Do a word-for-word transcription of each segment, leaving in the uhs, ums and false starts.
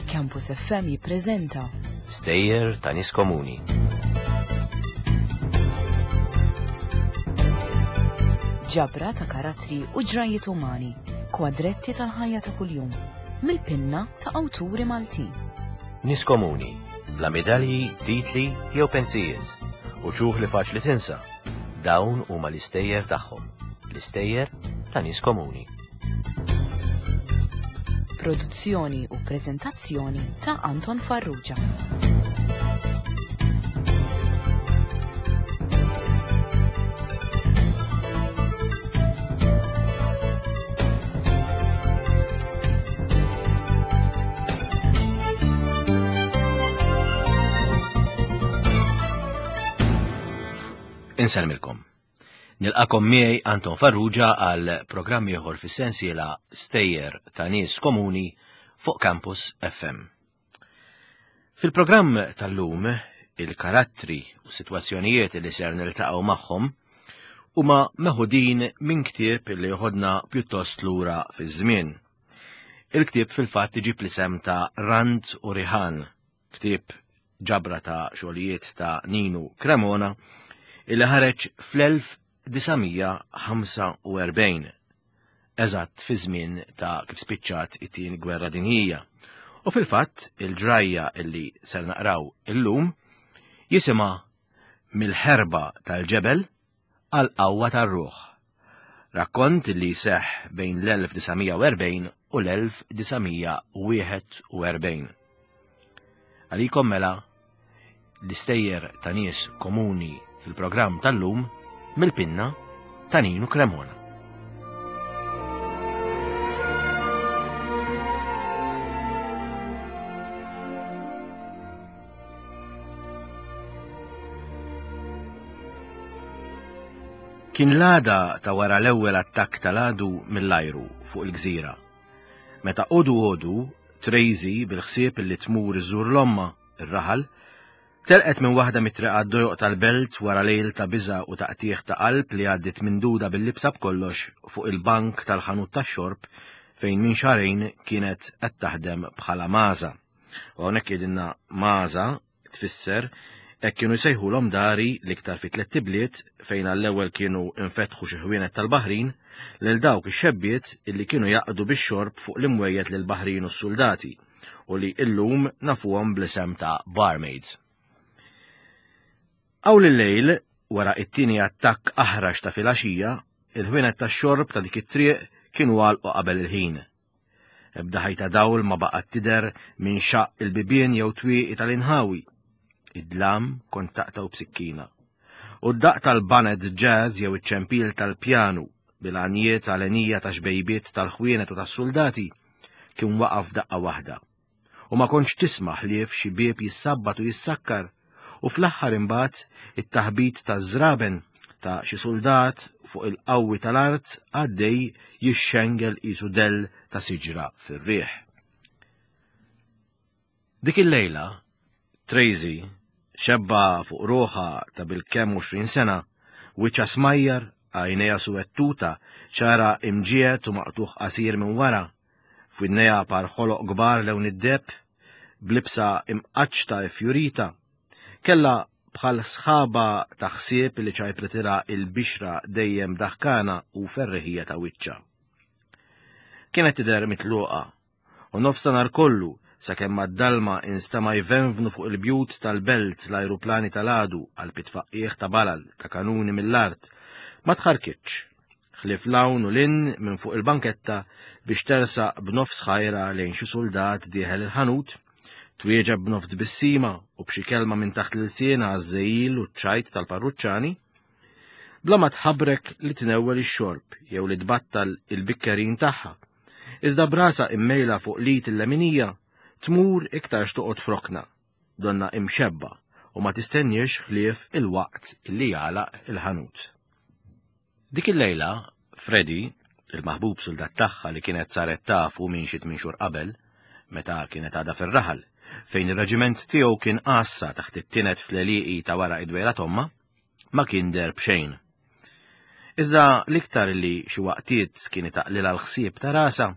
Campus F M jippreżenta Stejjer ta' nies komuni. Ġabra ta' karattri u ġrajiet umani, kwadretti tal-ħajja ta' kuljum, mill-pinna ta' awturi Maltin. Nies komuni, bla medalji, titli jew pensijiet, uċuħ li faċli tinsa. Dawn huma l-istejjer tagħhom, l-istejjer ta' nies komuni. Produzzjoni u preżentazzjoni ta' Anton Farrugia. Insellmilkom. Nilqagħkom miegħi Anton Farrugia għal programm ieħor fis-sensiela Stejjer ta' nies komuni fuq Campus F M. Fil-programm tal-lum, il-karattri u sitwazzjonijiet li ser niltaqgħu magħhom huma meħudin minn ktieb li joħodna pjuttost lura fiż-żmien. Il-ktieb fil-fatt iġib l-isem ta' Rand u Rihan, ktieb ġabra ta' xogħlijiet ta' Ninu Cremona illi ħareġ fl-elf disa' mija ħamsa u erbgħin, eżatt fi żmien ta' kif spiċċat it-tieni gwerra dinjija. U fil-fatt il-ġrajja illi ser naqraw illum jisimha Mill-ħerba tal-ġebel għal qawwa tar-ruħ. Rakkont li seħ bejn l-elf disa' mija erbgħin u l-elf disa' mija wieħed u erbgħin. Għalikom mela l-istejjer ta' nies komuni fil-programm tal-lum mill-pinna ta' Ninu Cremona. Kien l-għada ta' wara l-ewwel attakk tal-għadu mill-ajru fuq il-gżira. Meta għodu għodu, Tracy bil-ħsieb li tmur iżżur 'l ommha, ir-raħal, telqet minn waħda mit-triqat dojoq tal-belt wara lejl ta' biża u taqtigħ ta' qalb li għaddit mimduda bil-libsa b'kollox fuq il-bank tal-ħanut tax-xorb fejn minn xahrejn kienet qed taħdem bħala maża. U hawnhekk jgħidilna maża tfisser hekk kienu jsejħulhom dari l-iktar fi tliet ibliet fejn għall-ewwel kienu infetħu xi ħwienet tal-baħrin lil dawk ix-xebbiet illi kienu jaqdu bix-xorb fuq l-imwejjed lil baħrin u s-soldati u li illum nafuhom bl-isem ta' barmaids. Awl il-lejl, wara it-tieni attakk aħrax ta' filgħaxija, il-ħwienet tax-xorb ta' dik it-triq kienu għalqu qabel il-ħin. Ebda ħajta dawl ma baqgħet tidher minn xaq il-bibien jew twieqi tal-inħawi. Id-dlam kont taqtgħu b'sikkina. U d-daq tal-baned jazz jew iċ-ċempil tal-pjanu bil-għanjiet għalenija ta' xbejbiet tal-ħwienet u tas-soldati kien waqaf daqqa waħda. U ma kontx tisma' ħlief xi bieb jissabbat u jissakkar u fl-aħħar imbagħad it-taħbit ta' żraben ta' xi soldat fuq il-qawwi tal-art għaddej jixxengel qisu dell ta' siġra fir-riħ. Dik il-lejla, Tracy, xebba fuq ruħha ta' bil-kemm għoxrin sena, wiċċha smajjar, għajnejha suwed tuta, xagħarha imġiegħed u maqtugħ qasir minn wara, f'widnejha par ħoloq kbar lewn id-deheb, b'libsa imqaċċta fjurita, kella bħal sħaba ta' ħsieb li ċajpritilha il-bixra dejjem daħkana u ferriħija ta' wiċċha. Kienet tidher mitluqa u nofstanhar kollu sakemm mad-dalma instema' jvenvnu fuq il-bjut tal-belt l-ajruplani tal-għadu għal pitfaqqieħ ta' balal ta' kanuni mill-art, ma tħarkitx, ħlief 'l hawn u 'l hinn minn fuq il-banketta biex tersaq b'nofs ħajra lejn xi soldat dieħel il-ħanut, twieġeb b'nofs tbissima u b'xi kelma minn taħt l-ilsiena għaż-żegħil u ċ-ċajt tal-parruċċani, bla ma tħabrek li tnewwel ix-xorb jew li tbattal il-bikkerin tagħha. Iżda b'rasha immejla fuq l-id il-leminija tmur iktar xtoqgħod f'rokna, donna imxebba u ma tistenniex ħlief il-waqt illi jagħlaq il-ħanut. Dik il-lejla, Freddy, il-maħbub soldat tagħha li kienet saret tafu minn xi tmien xhur qabel, meta kienet għadha fir-raħal, fejn ir-reġiment tiegħu kien għassa taħt it-tined fl-għelieqi ta' wara id-dwejra t'ommha, ma kien deher b'xejn. Iżda l-iktar li xi waqtiet kien itaqlilha l-ħsieb ta' rasha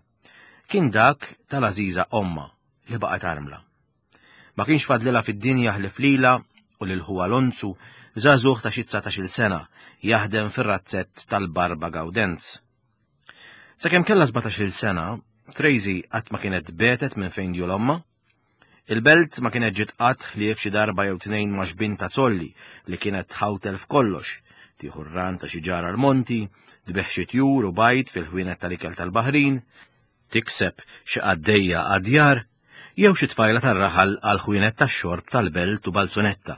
kien dak tal-għażiża ommha li baqgħet armla. Ma kienx fadlilha fid-dinja ħlief lilha u lil ħuha Lonzu, żagħżugħ ta' xi dsatax-il sena, jaħdem fir-razzett tal-Barba Gawdenz. Sakemm kellha sbatax-il sena, Tracy qatt ma kienet betet minn fejn djul ommha. Il-belt ma kienet ġiet qatt ħlief xi darba jew tnejn ma' xbin ta' zolli li kienet tħawtel f'kollox, tieħu r-ran ta' xi ġara l-monti, tbigħ xi tjur u bajd fil-ħwienet tal-ikel tal-Baħrin, tikseb xi qaddejja għad-djar, jew xi tfajla tar-raħal għal ħwienet tax-xorb tal-belt u balzunetta.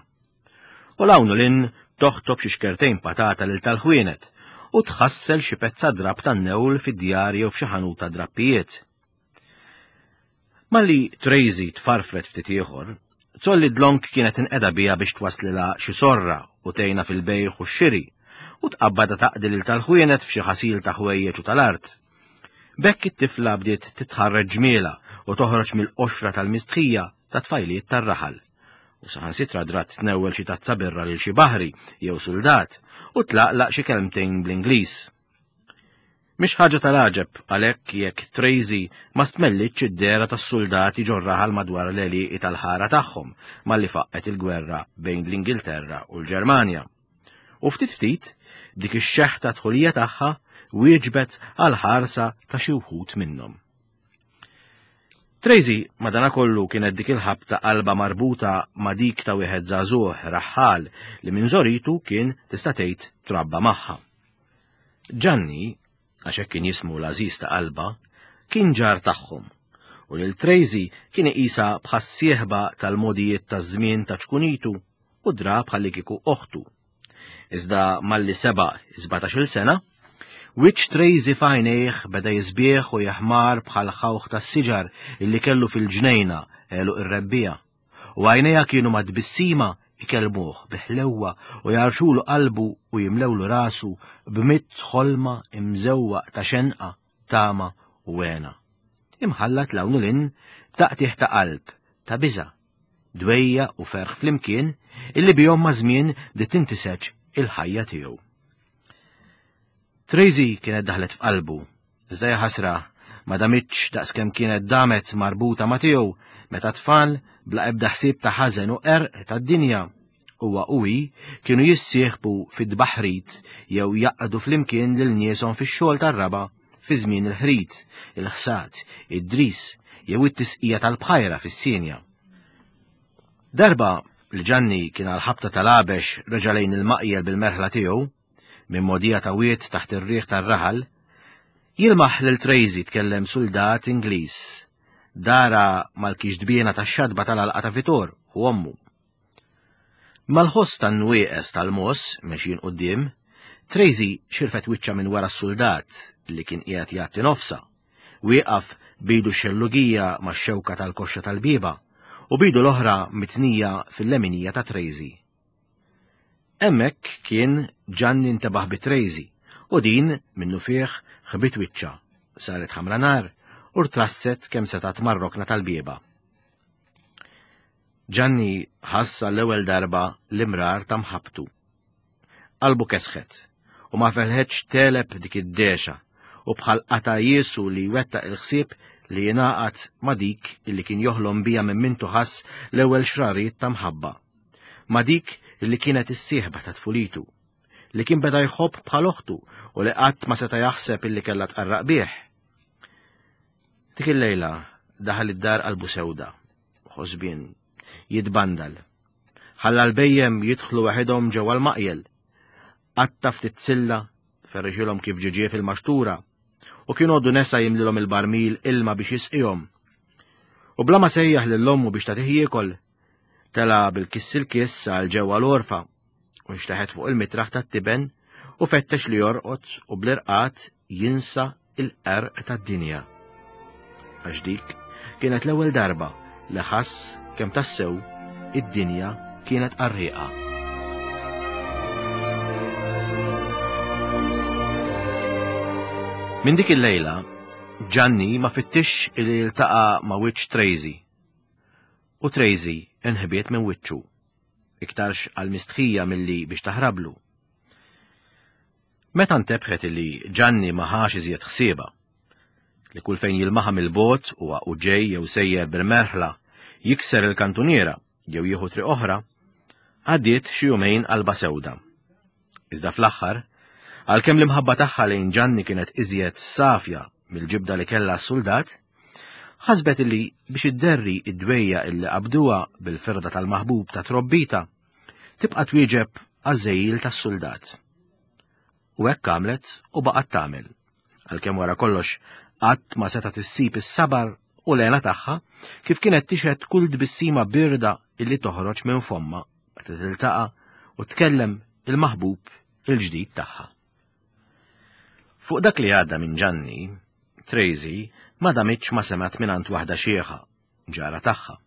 U 'l hawn u 'l hinn toħtob xi xkertejn patata lil tal-ħwienet u tħassel xi pezza drab tan-newl fid-djar jew f'xi ħanut ta' drappijiet. Malli Tracy tfarfret ftit ieħor, Zolli dlonk kienet inqeda biha biex twaslilha xi sorra u tgħinha fil-bejgħ u x-xiri u tqabbadha taqdi lil tal-ħwienet f'xi ħasil ta' ħwejjeġ u tal-art. B'hekk it-tifla bdiet titħarreġ ġmiela u toħroġ mill-qoxra tal-mistħija ta' tfajliet tar-raħal. U saħansitra drat tnewwel xi tazza birra lil xi baħri jew suldat u tlaqlaq xi kelmtejn bl-Ingliż. Mhix ħaġa tal-għaġeb għalhekk jekk Tracy ma stmellitx id-dehra tas-suldati ġor-raħal madwar l-għelieqi tal-ħara tagħhom malli faqqet il-gwerra bejn l-Ingilterra u l-Ġermanja. U ftit ftit dik ix-xeħta dħulija tagħha wieġbet għal ħarsa ta' xi wħud minnhom. Tracy madanakollu kienet dik il-ħabta qalba marbuta ma' dik ta' wieħed żagħżugħ raħħal li minn żoritu kien tista' tgħid trabba magħha. Ġanni, għax hekk kien jismu l-għażiż ta' qalba, kien ġar tagħhom u lil Tracy kien iqisha bħas-sieħba tal-modijiet taż-żmien ta' ċkunitu u dra bħalli kieku oħtu. Iżda malli seba' sbatax-il sena, wiċċ Tracy f'għajnejh beda jisbieħ u jeħmar bħal ħawħ tas-siġar illi kellu fil-ġnejna għeluq ir-rebbija, u għajnejha kienu ma' tbissima ikellmuh bi ħlewwa u jarxulu qalbu u jimlewlu rasu b'mitt ħolma imżewwaq ta' xenqa, tama u għena. Imħallat 'l hawn u 'l hinn b'taqtigħ ta' qalb, ta' biża', dwejja u ferħ flimkien illi bihom ma' żmien bdiet tintiseġ il-ħajja tiegħu. Tracy kienet daħlet f'qalbu, iżda ja ħasra ma damitx daqskemm kienet damet marbuta ma' tiegħu meta tfal bla ebda ħsieb ta' ħażen u qerq tad-dinja huwa u hi kienu jissieħbu fid-baħrit jew jaqdu flimkien lil nieshom fix-xogħol tar-raba' fi żmien il-ħrit, il-ħsad, id-dris jew it-tisqija tal-bħajra fis-sinja. Darba li Ġanni kien għal ħabta tal-għabex reġa' lejn il-maqjel bil-merħla tiegħu minn mogħdija ta' wied taħt ir-riħ tar-raħal, jilmaħ lil Tracy tkellem suldat Ingliż, dara mal-kixdbiena tax-xatba tal-għalqa ta' Vitor u ommu. Mal-ħoss tan-nwieqes tal-mos mexjin quddiem, Tracy xirfet wiċċha minn wara s-suldat li kien qiegħed jgħatti nofsa, wieqaf bidu x-xellugija max-xewka tal-koxxa tal-bieba u bidu l-oħra mitnija fil-leminija ta' Tracy. Hemmhekk kien Ġanni ntebaħ bi Tracy u din minnu fih ħbit wiċċha, saret ħamra nar u rtrasset kemm setgħet mar-rokna tal-bieba. Ġanni ħass għall-ewwel darba l-imrar ta' mħabbtu. Qalbu kesħet u ma felħetx teleb dik id-dexa u bħal qata' jiesu li wettaq il-ħsieb li jingħaqad ma' dik illi kien joħlom bija minn mintu ħass l-ewwel xrarijiet ta' mħabba, ma' dik illi kienet is-sieħba ta' tfulitu, li kien beda jħobb bħal oħtu u li qatt ma seta' jaħseb illi kellha tqarraq bih. Dik il-lejla daħal id-dar qalbu sewda, ħosbien, jitbandal. Ħalla l-bejjem jidħlu waħedhom ġewwa l-maqjel. Qatta' ftit silla, ferrixilhom kif ġie fil-maxtura, u kien għoddu nesa jimlilhom il-barmil ilma biex jisqihom. U bla ma sejjaħ lil ommu biex tagħtih jiekol, tela bil-kiss il-kiss għal ġewwa l-għorfa u nxteħet fuq il-mitraħ tat-tiben u fettex li jorqod u bl-irqad jinsa il-qerq tad-dinja. Għax dik kienet l-ewwel darba li ħass kemm tassew id-dinja kienet qarrieqa. Minn dik il-lejla, Ġanni ma fittix li jiltaqa' ma' wiċċ Tracy. U Tracy inħbiet minn wiċċu, iktarx għal mistħija milli biex taħrablu. Meta ntebħet li Ġanni ma ħax iżjed ħsieba, li kull fejn jilmaħa mill-bogħod huwa u ġej jew sejjer bil-merħla jikser il-kantuniera jew jieħu triq oħra, għaddiet xi jumejn qalba sewda. Iżda fl-aħħar, għalkemm l-imħabba tagħha lejn Ġanni kienet iżjed safja mill-ġibda li kellha s-suldat, ħasbet illi biex idderri id-dwejja illi qabduha bil-firda tal-maħbub ta' trobbita, tibqa' twieġeb għaż-żejjil tas-suldat. U hekk għamlet u baqgħet tagħmel, għalkemm wara kollox qatt ma setgħet issib is-sabar u l-għena tagħha kif kienet tixhed kull tbissima birda illi toħroġ minn fomma meta tiltaqa' u tkellem il-maħbub il-ġdid tagħha. Fuq dak li għadda minn Ġanni, Tracy ma damitx ma semgħet mingħand waħda xieħa, ġara tagħha,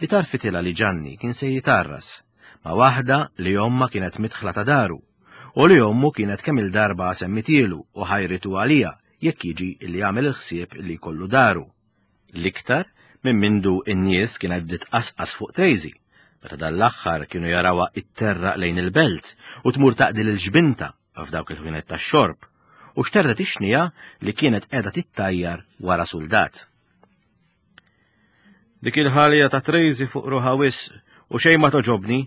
li tarfitilha li Ġanni kien se jitarras ma' waħda li omma kienet midħla ta' daru u li ommu kienet kemm il-darba semmitielu u ħajritu għalija jekk jiġi li jagħmel il-ħsieb li jkollu daru. L-iktar minn mindu n-nies kienet bdiet qasqas fuq Tracy, meta dan l-aħħar kienu jarawha itterraq lejn il-belt u tmur taqdi lil ġbinta f'dawk il-ħwienet tax-xorb u xterret ix-xnija li kienet qiegħda tittajjar wara suldat. Dik il-ħalja ta' Tracy fuq ruħha wisq u xejn ma toġobni,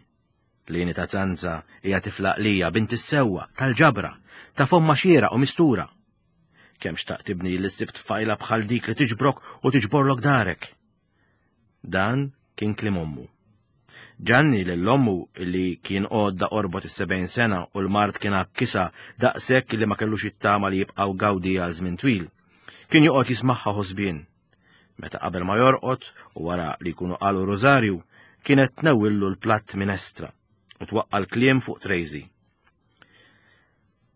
Lini ta' Zanza hija tiflaq lija bint is-sewwa tal-ġabra ta' fomma xiera u mistura. Kemm xtaqt tibni li ssib tfajla bħal dik li tiġbrok u tiġborlok darek. Dan kien kliem ommu. Ġanni lil ommu li kien għodda qorbot is-sebgħin sena u l-mard kien għakkisha daqshekk li ma kellux it-tama li jibqgħu gawdi għal żmien twil. Kien joqgħod jismagħha ħosbien. Meta qabel ma jorqod u wara li jkunu qalu rożarju, kienet tnewwillu l-platt minestra u twaqqa' l-kliem fuq Tracy.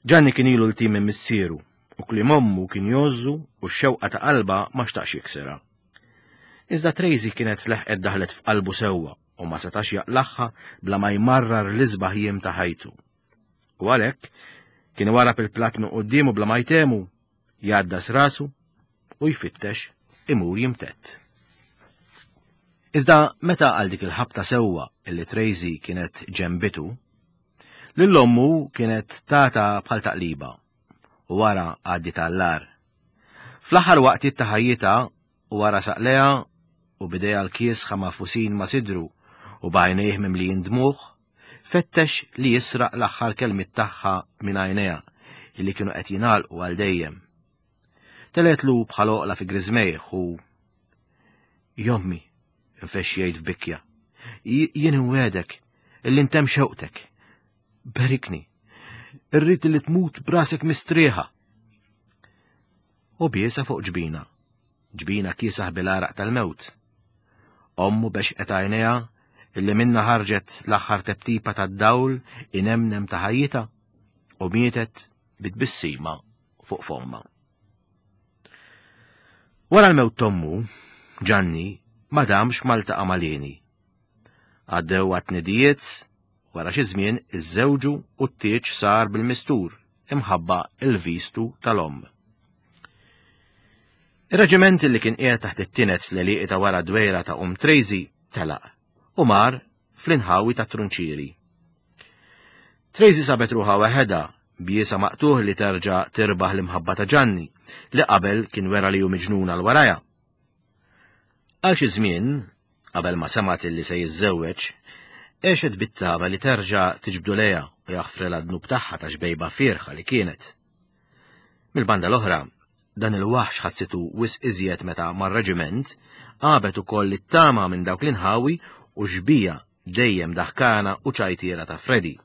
Ġanni kien ilu l-tim minn missieru u kliem ommu kien jgħożżu u x-xewqa ta' qalba ma xtaqx jiksirha. Iżda Tracy kienet leħqet daħlet f'qalbu sewwa u ma setax jaqlaħħa bla ma jmarrar l-isbaħ jiem ta' ħajtu. U għalhekk kien warab il-platt minn quddiemu bla ma jtemu, jgħaddas rasu u jfittex imur jimtett. Iżda meta għal dik il-ħabta sewwa illi Tracy kienet ġembitu, lil ommu kienet tata bħal taqliba u wara għaddiet għall-agħar. Fl-aħħar waqtiet ta' ħajjitha u wara saqleha u bidejha l-kiesħa mafusin ma' sidru u b'għajnejh mimlijin dmugħ, fettex li jisraq l-aħħar kelmiet tagħha minn għajnejha illi kienu qed jingħalqu għal dejjem. Teletlu bħal oqla fi griżmejh u jommi, infexx jgħid f'bikja, jien inwegħdek illi ntemm xewqtek. Berikni, irrid li tmut brasek mistrieħa. U biesa fuq ġbina, ġbina kiesaħ bil-għaraq tal-mewt. Ommu bexqet għajnejha illi minna ħarġet l-aħħar teptipa tad-dawl inemnem ta' ħajjitha u mietet bitbissima fuq fomma. Wara l-mewt t'ommu, Ġanni ma damx ma ltaqa' ma' Leni. Għaddew għat-tnidijiet, wara xi żmien iżżewġu u t-tieġ sar bil-mistur imħabba il-vistu tal-omm. Ir-reġiment li kien qiegħed taħt it-tienet fl-għelieqi ta' wara dwejra ta' Omm Tracy telaq u mar fl-inħawi ta' Trunċieri. Tracy sabet ruħha weħedha biesa maqtuħ li terġa' tirbaħ l-imħabba ta' Ġanni li qabel kien wera li hu miġnun għal warajha. Għal xi żmien, qabel ma semgħet li se jiżżewweġ, għexet bit-tama li terġa' tiġbdu lejha u jaħfrilha d-dnub tagħha ta' xbejba fierħa li kienet. Mill-banda l-oħra, dan il-waħx ħassitu wisq iżjed meta mar-reġiment għabet ukoll it-tama minn dawk l-inħawi u xbija dejjem daħkana u ċajtiera ta' Freddy,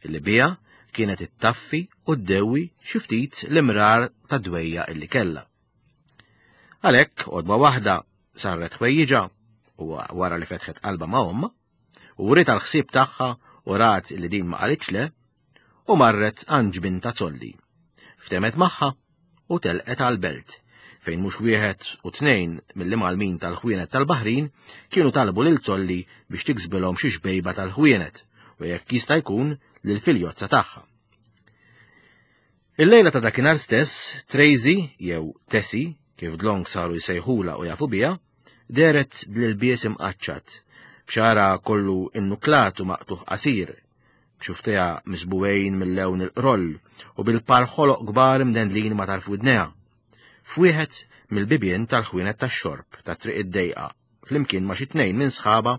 illi bija kienet ittaffi u ddewwi xi ftit l-imrar ta' dwejja illi kellha. Għalhekk għodwa waħda sarret ħwejjiġha u wara li fetħet qalba ma' ommha, u wriet għall-ħsieb tagħha u rat li din ma qalitx le, u marret għand ġbinta Zolli. Ftemet magħha u telqet għall-belt, fejn mhux wieħed u tnejn mill-imgħallmin tal-ħwienet tal-Baħrin kienu talbu lil Zolli biex tiksbilhom xi xbejba tal-ħwienet u jekk jista' jkun lill-filjozza tagħha. Il-lejla ta' dakinhar stess, Tracy jew Tessie, kif dlonk saru jsejħula u jafu biha, dehret bl-ilbies imqaċċat, b'xagħarha kollu innuklat u maqtuħ qasir, b'xufftejha misbugħin mill-lewn il-qroll u bil-par ħoloq kbar imdendlin ma' tarf widnejha, f'wieħed mill-bibien tal-ħwienet tax-xorb ta' Triq id-Dejqa, flimkien ma' xi tnejn minn sħaba,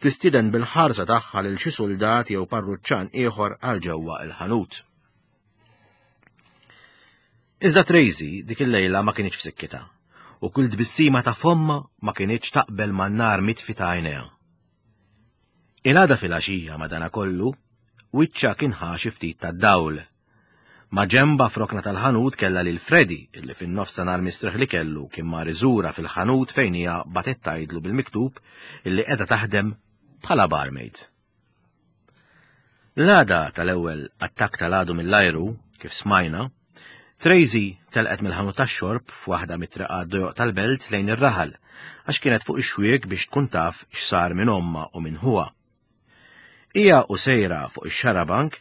tistieden bil-ħarsa tagħha lil xi suldat jew parruċċan ieħor għal ġewwa il-ħanut. Iżda Tracy dik il-lejla ma kienx f'sikkitha, u kull tbissima ta' fomma ma kienx taqbel man-nar mitfi ta' għajnejha. Il-għada fil-għaxija madanakollu, wiċċha kien ħa xi ftit tad-dawl. Ma ġemba f'rokna tal-ħanut kella lil Freddy, illi fin-nofs ta' nhar mistrieħ li kellu kien mar iżura fil-ħanut fejn hija bagħtet tgħidlu bil-miktub illi qiegħda taħdem bħala barmaid. L-għada tal-ewwel attakk tal-għadu mill-ajru, kif smajna, Tracy telqet mill-ħanut tax-xorb f'waħda mit-triqat dojoq tal-belt lejn ir-raħal, għax kienet fuq ix-xwiek biex tkun taf x'sar minn ommha u minn ħuha. Hija u sejra fuq ix-xarabank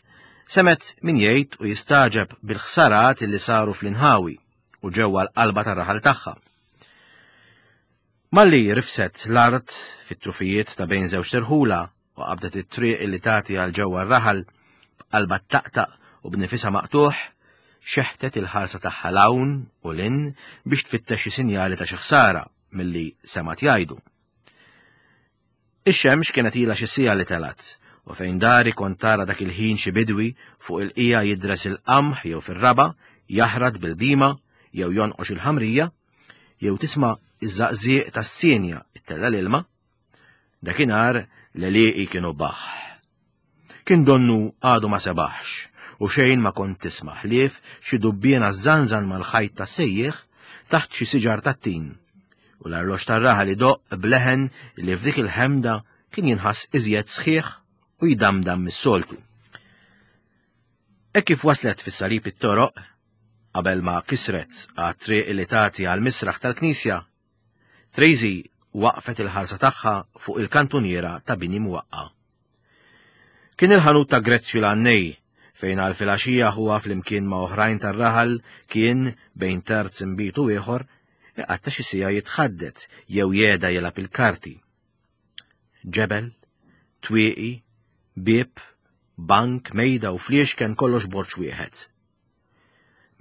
semgħet min jgħid u jistaġeb bil-ħsarat li saru fl-inħawi u ġewwa l-qalba tar-raħal tagħha. Malli rifset l-art fit-trufijiet ta' bejn żewġ terħula u qabdet it-triq li tagħti għal ġewwa r-raħal b'qalba taqtaq u b'nifisha maqtuħ, xeħtet il-ħarsa tagħha 'l hawn u 'l hinn biex tfittex xi sinjali ta' xi ħsara milli semgħet jgħidu. Ix-xemx kienet ilha xi siegħa li telgħet, u fejn dari kont tara dak il-ħin xi bidwi fuq il-qija jidres il-qamħ jew fir-raba jaħrat bil-bima jew jonqox il-ħamrija, jew tisma' iż-żaqżieq tas-sienja ittella' l-ilma, dakinhar l-għelieqi kienu baħ. Kien donnu għadu ma sebaħx, u xejn ma kont tisma' ħlief xi dubbiena żanżan mal-ħajt tas-sejjieħ taħt xi siġar tat-tin, u l-arloġġ tar-raħal idoqq b'leħen li f'dik il-ħemda kien jinħass iżjed sħiħ u jdamdam mis-soltu. Hekk kif waslet fis-salib it-toroq, qabel ma kisret għat-triq li tagħti għal misraħ tal-knisja, Tracy waqfet il-ħarsa tagħha fuq il-kantuniera ta' bini mwaqqa. Kien il-ħanut ta' Grezzju l-Għannej, fejn għal filgħaxija huwa flimkien ma' oħrajn tar-raħal kien bejn terz inbid u ieħor iqatta' xi siegħa jitħaddet jew jeda jilgħab il-karti. Ġebel, twieqi, bieb, bank, mejda u fliexken kollox borġ wieħed.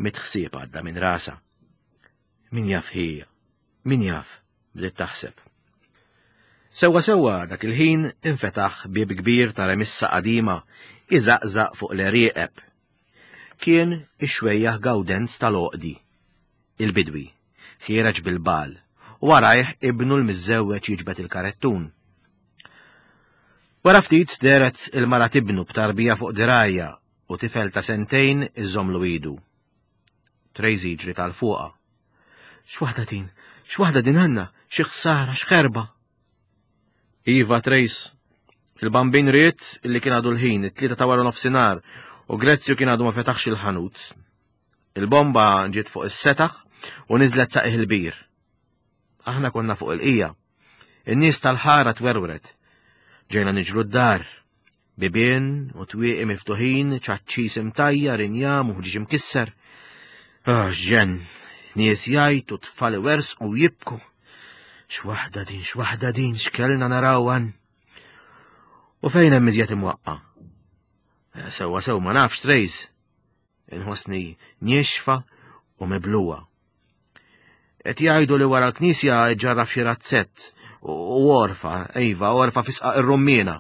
Mitt ħsieb għadda minn rasha. Min jaf ħija, min jaf, bdiet taħseb. Sewwa sewwa dak il-ħin infetaħ bieb kbir ta' remissa qadima iżaqżaq fuq l-erieqeb. Kien ix-xwejjaħ Gawdenz tal-Oqdi, il-bidwi, ħiereġ bil-bal, u warajh ibnu l-miżżewweġ jiġbed il-karettun. Wara ftit dehret il-mara t'ibnu b'tarbija fuq dirgħajha u tifel ta' sentejn iżommlu idu. Tracy ġriet għal fuqha. X'waħda din, x'waħda din għandna, xi ħsara, x'ħerba. Iva, Trace, il-bambin ried illi kien għadu l-ħin, it-tlieta ta' wara nofsinhar, u Grezzju kien għadu ma fetaħx il-ħanut. Il-bomba ġiet fuq is-setaħ u niżlet sa qiegħ il-bir. Aħna konna fuq il-qija. In-nies tal-ħara twerwret. Ġejna niġru d-dar. Bibien u twieqi miftuħin, ċaċċis imtajjar, injam u ħġieġ imkisser. Ah, ġen, nies jgħajtu, tfal iwerżqu jibku. X'waħda din, x'waħda din, x'kellna naraw għan. U fejn hemm iżjed imwaqqa? Sewwa sew ma nafx, Trace. Inħossni niexfa u mibluwa. Qed jgħidu li wara l-knisja ġarraf xi razzett u orfa, iva, orfa fi Sqaq ir-Rummiena.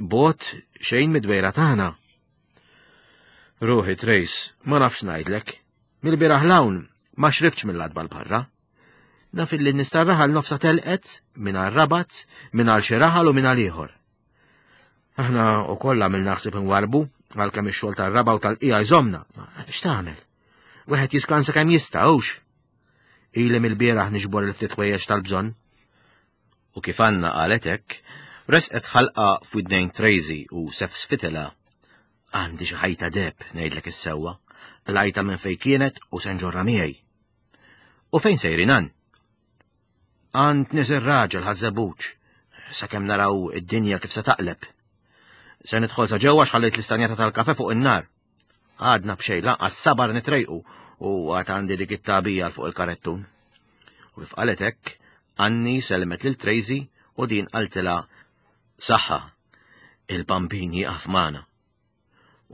Bogħod xejn mid-dwejra tagħna. Ruħi, Trace, ma nafx ngħidlek. Mill-bieraħ 'l hawn ma xriftx mill-għatba 'l barra. Naf illi n-nies tar-raħal nofsa telqet minn għal Rabat, minn għal xi raħal u minn għal ieħor. Aħna wkoll għamilna ħsieb nwarbu għalkemm ix-xogħol tar-raba u tal-qija jżomna. X'tagħmel? Wieħed jiskansa kemm jista' hux. Ili mill-bieraħ niġbor il-ftit ħwejjeġ tal-bżonn. U kif Anna qalet hekk, resqet ħalqa f'widnejn Tracy u sefsfitilha. Għandi xi ħajta deheb, ngħidlek is-sewwa, qlajtha minn fejn kienet u se nġorrha miegħi. U fejn sejrin għan? Għand nies ir-raġel Ħaż-Żebbuġ, sakemm naraw id-dinja kif se taqleb. Se nidħol sa ġewwa x'ħallejt l-istanjata tal-kafe fuq in-nar. Għadna b'xejn lanqas sabar nitrejqu u għad għandi dik it-tagħbija fuq il-karettun. U kif qalet hekk, Anni selmet lil Tracy u din qaltilha saħħa. Il-Bambin jieqaf magħna.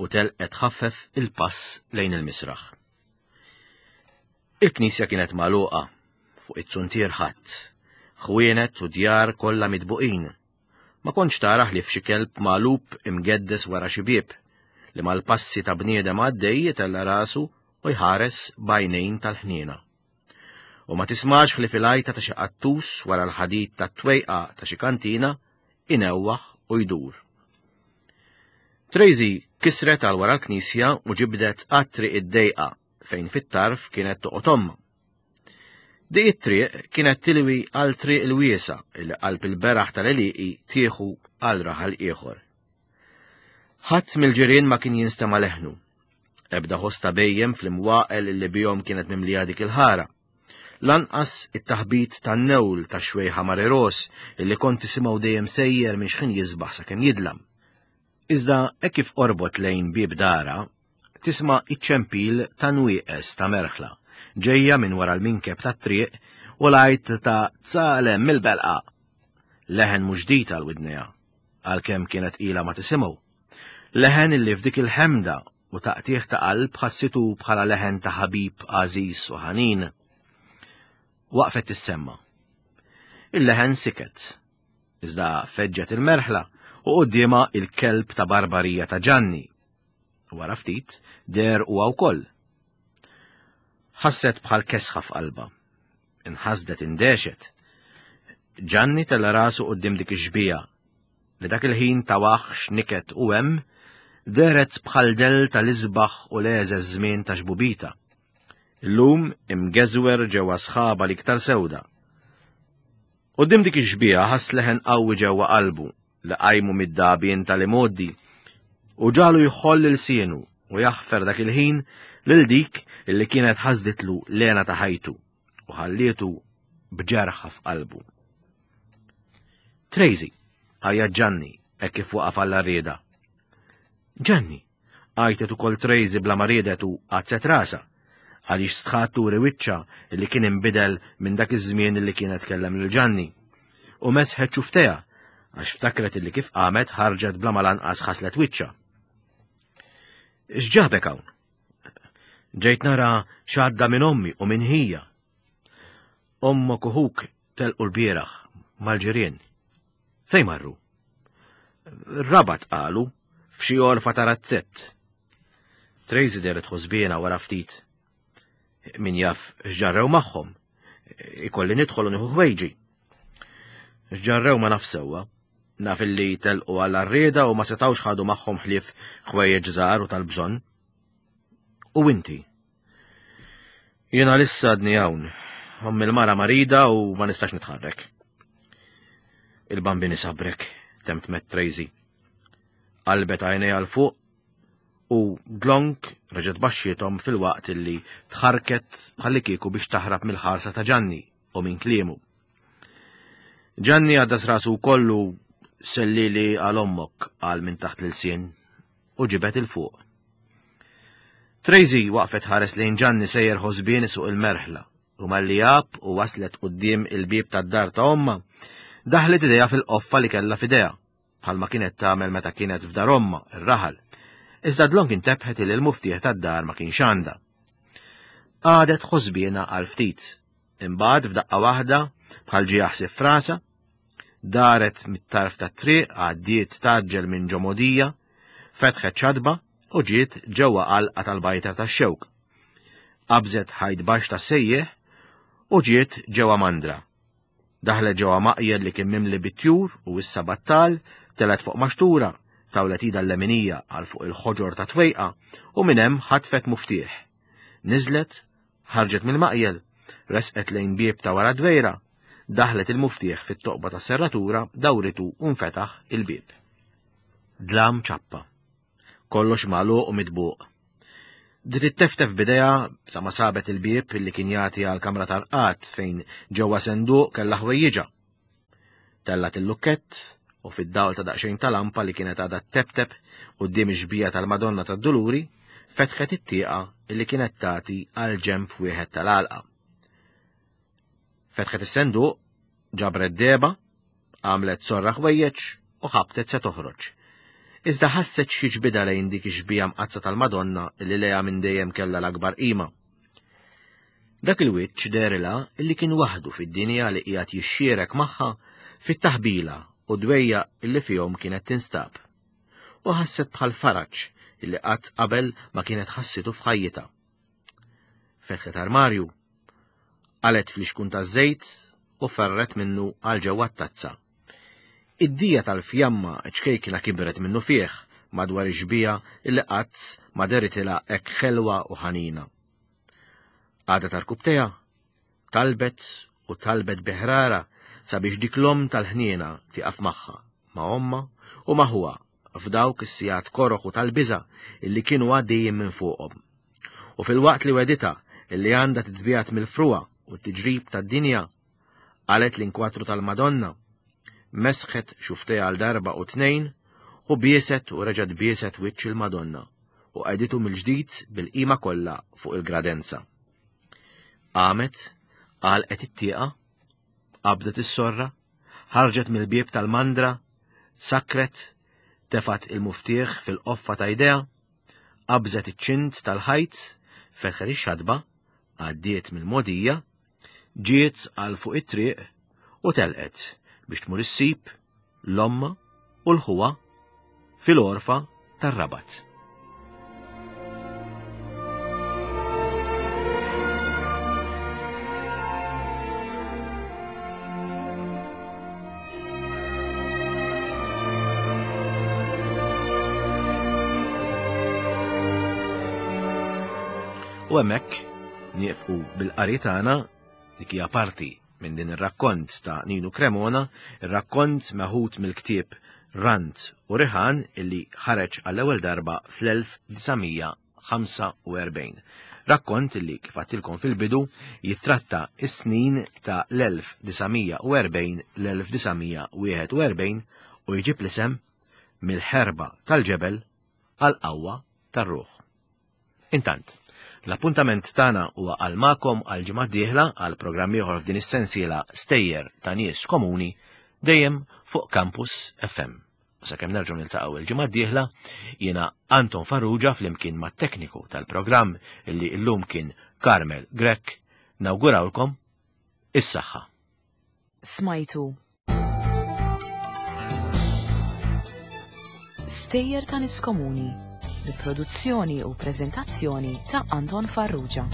U telqet ħaffef il-pass lejn il-misraħ. Il-knisja kienet magħluqa fuq it-suntier ħadd, ħwienet u djar kollha mitbuqin. Ma kontx tara ħlief xi kelb magħlub imgeddes wara xi bieb li mal-passi ta' bniedem għaddej jitella' rasu u jħares b'għajnejn tal-ħniena. U ma tismax ħlief il-għajta ta' xi qattus wara l-ħadid tat-twejqa ta' xi kantina inewwaħ u jdur. Tracy kisret għal wara l-knisja u ġibdet għat-triq id-dejqa fejn fit-tarf kienet toqgħod ommha. Dik it-triq kienet tilwi għal triq il-wiesa li qalb il-beraħ tal-għelieqi tieħu għal raħal ieħor. Ħadd mill-ġirien ma kien jinstema' leħnu. Ebda ħoss ta' bhejjem fl-imwaqel li bihom kienet mimlija dik il-ħara. Lanqas it-taħbit tan-newl ta' xwejħa Mariros illi kont tisimgħu dejjem sejjer minn xħin jisbaħ sakemm jidlam. Iżda hekk kif qorbot lejn bieb dara, tisma' iċ-ċempil ta' nwieqes ta' merħla ġejja minn wara l-minkeb tat-triq u l-għajt ta' tsalem mill-belqa. Leħen mhux ġdid għal widnejha, għalkemm kienet ilha ma tisimgħu. Leħen illi f'dik il-ħemda u taqtieħ ta' qalb ħassitu bħala leħen ta' ħabib għażiż u ħanin. Waqfet tissemma. Il-leħen siket. Iżda feġġet il-merħla u quddiemha il-kelb ta' barbarija ta' Ġanni. Wara ftit deher huwa wkoll. Ħasset bħal kesħa f'qalbha. Inħasdet indehxet. Ġanni tella' rasu quddiem dik ix-xbieha li dak il-ħin ta' waħx niket u hemm dehret bħal dell tal-isbaħ u l-għeżeż żmien ta' xbubita. Illum imgeżwer ġewwa sħaba l-iktar sewda. Quddiem dik ix-xbieha ħass leħen qawwi ġewwa qalbu li qajmu mid-dagħbien tal-imgħoddi u ġalu jħoll ilsienu u jaħfer dak il-ħin lil dik illi kienet ħasditlu l-hena ta' ħajtu u ħallietu b'ġerħa f'qalbu. Tracy, għajjat Ġanni, hekk kif waqaf għall-għarrieda. Ġanni, għajtet ukoll Tracy bla ma riedet u għazzet rasha, għaliex stħat turi wiċċha illi kien inbidel minn dak iż-żmien illi kienet tkellem lil Ġanni. U mesħet xufftejha, għax ftakret illi kif qamet ħarġet bla ma lanqas ħaslet wiċċha. X'ġabek hawn? Ġejt nara x'għadda minn ommi u minn ħija. Ommok u ħuk telqu l-bieraħ mal-ġirien. Fejn marru? Rabat qalu, f'xi għorfa ta' razzett. Tracy dehret ħosbiena wara ftit. Min jaf x'ġarrew magħhom. Ikolli nidħol u nieħu ħwejġi. X'ġarrew ma naf sewwa. Naf illi telqu għall-għarrieda u ma setgħux ħadu magħhom ħlief ħwejjeġ żgħar u tal-bżonn. U inti? Jiena lissa għadni hawn. Ommi l-mara marida u ma nistax nitħarrek. Il-Bambin isabrek, temtmet Tracy. Qalbet għajnejha 'l fuq u dlonk reġgħet baxxiethom fil-waqt illi tħarket bħallikieku biex taħrab mill-ħarsa ta' Ġanni u minn kliemu. Ġanni għaddas rasu kollu sellili għal ommok għal minn taħt l-ilsien u ġibet 'il fuq. Tracy waqfet tħares lejn Ġanni sejjer ħosbien suq il-merħla u malli għab u waslet quddiem il-bieb tad-dar ta' omma, daħlet idejha fil-qoffa li kellha f'idejha, bħalma kienet tagħmel meta kienet f'dar omma, ir-raħal. Iżda dlonk intebħet li l-muftieħ tad-dar ma kienx għandha. Qagħdet ħosbiena għal ftit. Imbagħad f'daqqa waħda bħal ġie ħsieb f'rasha, daret mit-tarf tat-triq għaddiet tgħaġġel minn ġo mogħdija, fetħet xatba u ġiet ġewwa għalqa tal-bajta tax-xewk. Qabżet ħajt baxx tas-sejjieħ u ġiet ġewwa mandra. Daħlet ġewwa maqjel li kien mimli bit-tjur u issa battal, telgħet fuq maxtura, tawlet idha l-leminija għal fuq il-ħoġor ta' twejqa u minn hemm ħatfet muftieħ. Niżlet, ħarġet mill-maqjel, resqet lejn bieb ta' wara dwejra, daħlet il-muftieħ fit-toqba ta' serratura, dawritu u nfetaħ il-bieb. Dlam ċappa. Kollox magħluq u mitbuq. Bdiet itteftef b'idejha sa ma sabet il-bieb li kien jagħti għal kamra tal-qat fejn ġewwa senduq kellha ħwejjiġha. Tellgħet il-lukkett u fid-dawl ta' daqsxejn ta' lampa li kienet għadha teptep quddiem ix-xbieha tal-Madonna tad-Duluri, fetħet it-tieqa li kienet tagħti għal ġenb wieħed tal-għalqa. Fetħet is-senduq, ġabret dehba, għamlet sorra ħwejjeġ u ħabtet se toħroġ. Iżda ħasset xi ġbida lejn dik ix-xbieha mqaddsa tal-Madonna li lejha minn dejjem kellha l-akbar qima. Dak il-wiċċ dehrilha illi kien waħdu fid-dinja li qiegħed jixxierek magħha fit-taħbila u dwejjaq illi fihom kienet tinstab. U ħasset bħal faraġ illi qatt qabel ma kienet ħassitu f'ħajjitha. Fetħet armarju, qalet fl-ixkun taż-żejt u ferret minnu għal ġewwa t-tazza. Id-dija tal-fjamma ċkejkna kibret minnu fih madwar ix-xbieha illi qatt ma deritilha hekk ħelwa u ħanina. Għadet għarkupptejha, talbet u talbet bi ħrara sabiex dik l-omm tal-ħniena tieqaf magħha, ma' ommha u ma' ħuha f'dawk is-sigħat koroh u tal-biża' illi kienu għaddejjin minn fuqhom. U filwaqt li weditha illi għandha titbiegħed mill-frugħa u t-tiġrib tad-dinja, qalet l-inkwatru tal-Madonna, mesħet xuftejha għal darba u tnejn u bieset u reġgħet bieset wiċċ il-Madonna u qegħditu mill-ġdid bil-qima kollha fuq il-gradenza. Qamet, għalqet it-tieqa, qabdet is-sorra, ħarġet mill-bieb tal-mandra, sakret, tefgħet il-muftieħ fil-qoffa ta' jdejha, qabżet iċ-ċint tal-ħajt, fetħet ix-xatba, għaddiet mill-mogħdija, ġiet għal fuq it-triq u telqet biex tmur issib l-ommha u l-ħuha fil-għorfa tar-Rabat. U hemmhekk nieqfu bil-qari tagħna. Dik hija parti minn din ir-rakkont ta' Ninu Cremona, ir-rakkont meħud mill-ktieb Rant u Riħan illi ħareġ għall-ewwel darba fl-elf disa' mija ħamsa u erbgħin. Rakkont illi kif għedtilkom fil-bidu jittratta is-snin ta' l-elf disa' mija u erbgħin l-elf disa' mija wieħed u erbgħin u jġib l-isem Mill-ħerba tal-ġebel għall-qawwa tar-ruħ. Intant, l-appuntament tagħna huwa għal magħkom għal ġimgħa d-dieħla għal programm ieħor f'din is-sensiela Stejjer ta' Nies Komuni dejjem fuq Campus F M. U sakemm nerġgħu niltaqgħu il-ġimgħa d-dieħla, jiena Anton Farrugia flimkien mat-tekniku tal-programm illi llum kien Carmel Grech, nawgurawlkom is-saħħa. Smajtu Stejjer ta' Nies Komuni, bi produzzjoni u preżentazzjoni ta' Anton Farrugia.